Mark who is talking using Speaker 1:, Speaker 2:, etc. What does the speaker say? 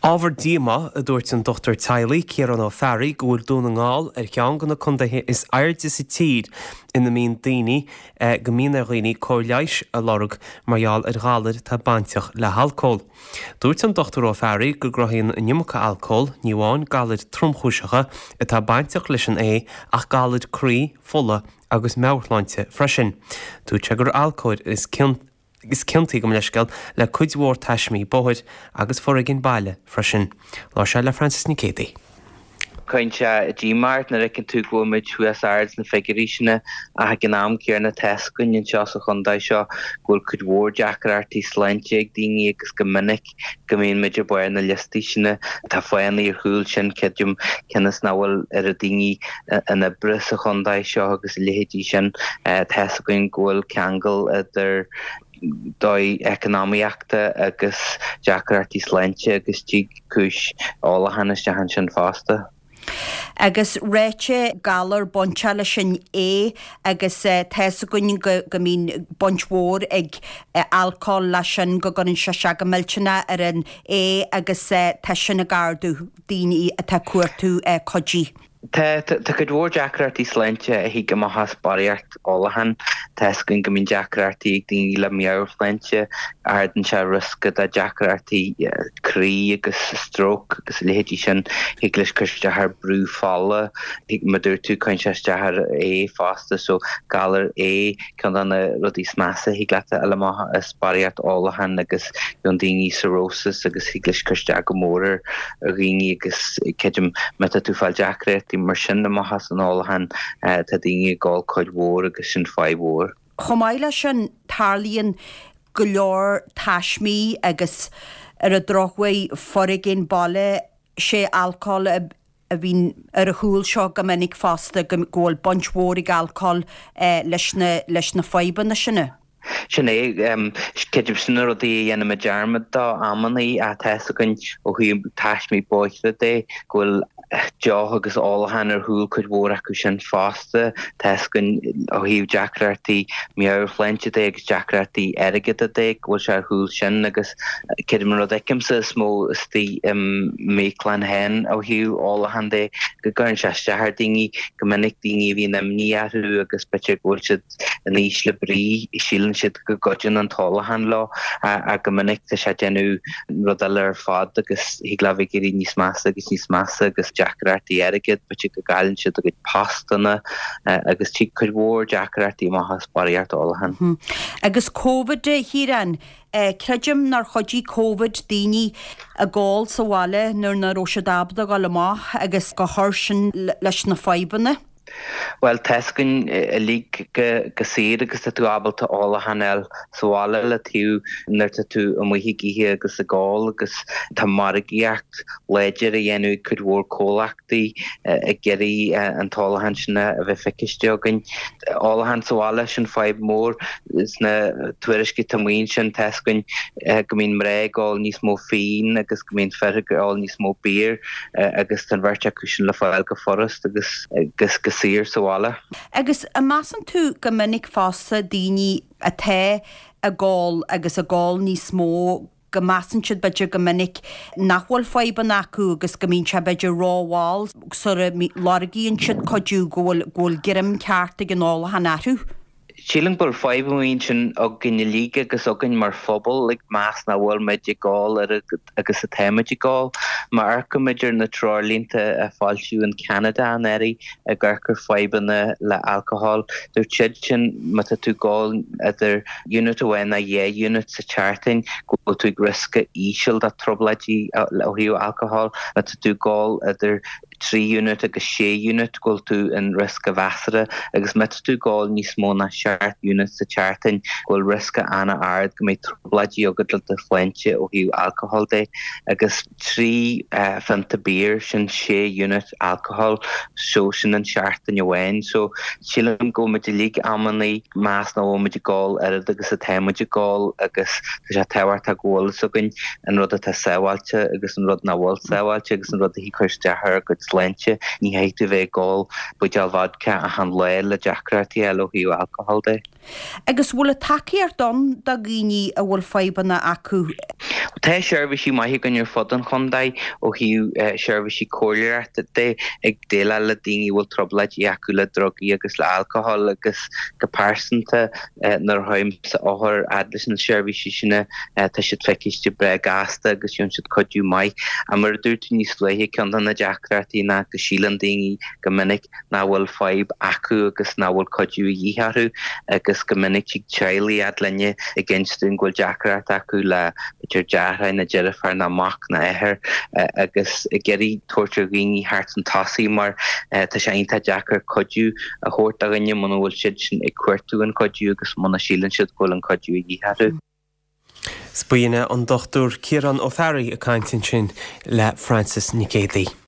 Speaker 1: Ábhar díomá, a dúirt an dochtúir teaghlaigh, Ciarán Ó Fearraigh, go bhfuil Dún na nGall ar cheann de na contaetha is airde sa tír ina mbíonn daoine go mbíonn ar dhaoine cóir leighis a lorg mar gheall ar ghalair atá bainteach le halcól. Dúirt an Dr Ó Fearraigh go gcruthaíonn an iomarca alcóil ní amháin galair tromchúiseacha atá bainteach leis an ae ach galair croí, fola agus meabhairshláinte freisin. Dúirt sé gur alcóir is is ciontaí, gabh mo leithscéal, le cuid mhór taismí bóthair agus foréigean baile freisin. Labhair sé le Frances Nic Géadaigh.
Speaker 2: Cuireann sé díomá ort nuair a fheiceann tú go bhfuil muid thuas ard sna figiúirí sin ach ag an am céanna tá's againn anseo sa chontae seo go bhfuil cuid mhór deacrachtaí sláinte ag daoine agus go minic go mbíonn muid ar barr na liostaí sin. Tá fáthanna ar chúl sin, creidim, cionn is nach bhfuil oiread daoine in oibre sa chontae seo agus a leithéidí sin. Tá's againn go bhfuil ceangal idir dóigh eacnamaíochta agus deacrachtaí sláinte agus tig cúis ólacháin isteach ansin fosta.
Speaker 3: Agus ráite galar bainteach leis an ae agus tá's againn go go mbíonn baint mhór ag alcól leis sin, go gcuireann sé isteach go millteanach ar an ae agus tá sin ag ardú daoine atá ag cuartú cuidí.
Speaker 2: Tá, tá cuid mhór deacrachtaí sláinte a thig amach as barraíocht ólacháin. Tá's againn go mbíonn deacrachtaí ag daoine le meabhairshláinte, ardaíonn sé riosca do deacrachtaí croí agus stróc agus a leithéidí sin. Thig leis cur isteach ar brú fola, thig, mar dúirt tú, cuireann sé isteach ar ae fosta, so galar ae. Ceann de na rudaí is measa a thig leat a fháil amach as barraíocht ólacháin agus gheobhann daoine cirrhosis agus thig leis cur isteach go mór ar dhaoine agus creidim má tá tú ag fáil deacrachtaí mar sin amach as an ólachán tá daoine ag ól cuid mhór agus sin fadhb mhór.
Speaker 3: Chomh maith leis sin tarlaíonn go leor taismí agus ar an drochuair foréigean baile, sé alcól a a bhíonn ar a chúl seo go minic fosta, go bhfuil baint mhór ag alcól leis na leis na fadhbanna sin.
Speaker 2: Sin é, creidim, sin na rudaí a dhéanaimid dearmad de amannaí ach tá's againn ó thaobh taismí bóithre de go bhfuil deoch agus ólachán ar chúl cuid mhór acu sin fosta. Tá's againn ó thaobh deacrachtaí meabhairshláinte de agus deacrachtaí airgeada de go bhfuil sé ar chúl sin agus Creidim an rud a fheicimse is mó istigh i m'íoclann féin ó thaobh ólacháin de, go gcuireann sé isteach ar daoine, go minic daoine a bhíonn imní orthu agus b'fhéidir go bhfuil siad in ísle brí, síleann siad go gcuidíonn an t-ólachán leo ach go minic tá sé ag déanamh rud eile ar fad agus thig leo bheith ag éirí níos measa agus níos measa agus deacrachtaí airgid, b'fhéidir go gcailleann siad a gcuid postanna agus tig cuid mhór deacrachtaí amach as barraíocht ólacháin.
Speaker 3: Agus Covid, a Chiaráin, Creidim nár chuidigh Covid daoine ag ól sa bhaile nuair nach raibh siad ábalta a dhul amach agus gur chuir sin leis na fadhbanna.
Speaker 2: Bhuel, tá's againn uilig chomh saor agus tá tú ábalta ólachán a fháil sa bhaile le taobh nuair tá tú amuigh ag ithe agus ag ól agus tá margaíocht láidir á dhéanamh ag cuid mhór comhlachtaí ag iarraidh an t-ólachán sin a bheith feiciste againn. Ólachán sa bhaile, sin fadhb mhór. Sna tuairiscí atá amuigh ansin, tá's againn go mbíonn mná ag ól níos mó fíon agus go mbíonn fir ag ól níos mó beer agus tá an bheirt acu sin le fáil go furast agus go saor sa bhaile.
Speaker 3: Agus an measann tú go minic fosta daoine atá ag ól agus ag ól níos mó go measann siad b'fhéidir go minic nach bhfuil fadhbanna acu agus go mbíonn sé b'fhéidir rómhall sula lorgaíonn siad cuidiú, go bhfuil, go bhfuil greim ceart ag an ólachán orthu.
Speaker 2: Sílim go bhfuil fadhb amháin ansin againn uilig agus againn mar phobal ag meas nach bhfuil muid ag ól oiread agus atá muid ag ól. Má amharcaimid ar na treoirlínte a foilsíodh in Ceanada anuraidh ag amharc ar fadhbanna le alcohol, dúirt siad sin má tá tú ag ól idir unit amháin nó 2 unit sa tseachtain, go bhfuil tú ag riosca íseal do trioblóidí ó thaobh alcohol. Má tá tú ag ól idir 3 unit agus 6 unit, go bhfuil tú in riosca mheasartha, agus má tá tú ag ól níos mó ná 7 unit sa tseachtain, go bhfuil riosca an-ard go mbeidh trioblóidí agat le do shláinte ó thaobh alcohol de. Agus. 3 phionta beer, sin 6 unit alcohol, so sin an seachtain amháin. So sílim go bhfuil muid uilig amannaí ag meas nach bhfuil muid ag ól oiread agus atá muid ag ól agus tá sé tábhachtach go bhfuil fhios againn an rud atá sábháilte agus an rud nach bhfuil sábháilte agus an rud a thig cur isteach ar ár gcuid. sláinte, ní chaithfidh tú bheith ag ól buidéal vodka achan lá le deacrachtaí a fháil ó thaobh alcohol de.
Speaker 3: Agus bhfuil tacaíocht ann do dhaoine a bhfuil fadhbanna acu?
Speaker 2: Tá seirbhísí maithe againn ar fud an chontae ó thaobh seirbhísí comhairleoireachta de, ag déileáil le daoine a bhfuil trioblóidí acu le drugaí agus le alcohol agus go pearsanta nuair a théimse othair fhad leis na seirbhísí sin tá siad feiciste breá gasta agus gheobhann siad cuidiú maith. Ach mar a dúirt tú níos luaithe, ceann de na deacrachtaí ná go síleann daoine go minic nach bhfuil fadhb acu agus nach bhfuil cuidiú a dhíth orthu agus go minic tig teaghlaigh fhad linne ag inst dúinn go bhfuil deacracht acu le b'fhéidir deartháir nó deirfiúr nó mac nó athair agus ag iarraidh tabhairt ar dhaoine thart chun tosaigh mar tá sé iontach deacair cuidiú a thabhairt do dhuine muna bhfuil siad sin ag cuartú an cuidiú agus muna síleann siad go bhfuil an cuidiú a dhíth orthu.
Speaker 1: 'S b'in é an Dr Ciarán Ó Fearraigh ag caint ansin le Frances Nic Géadaigh.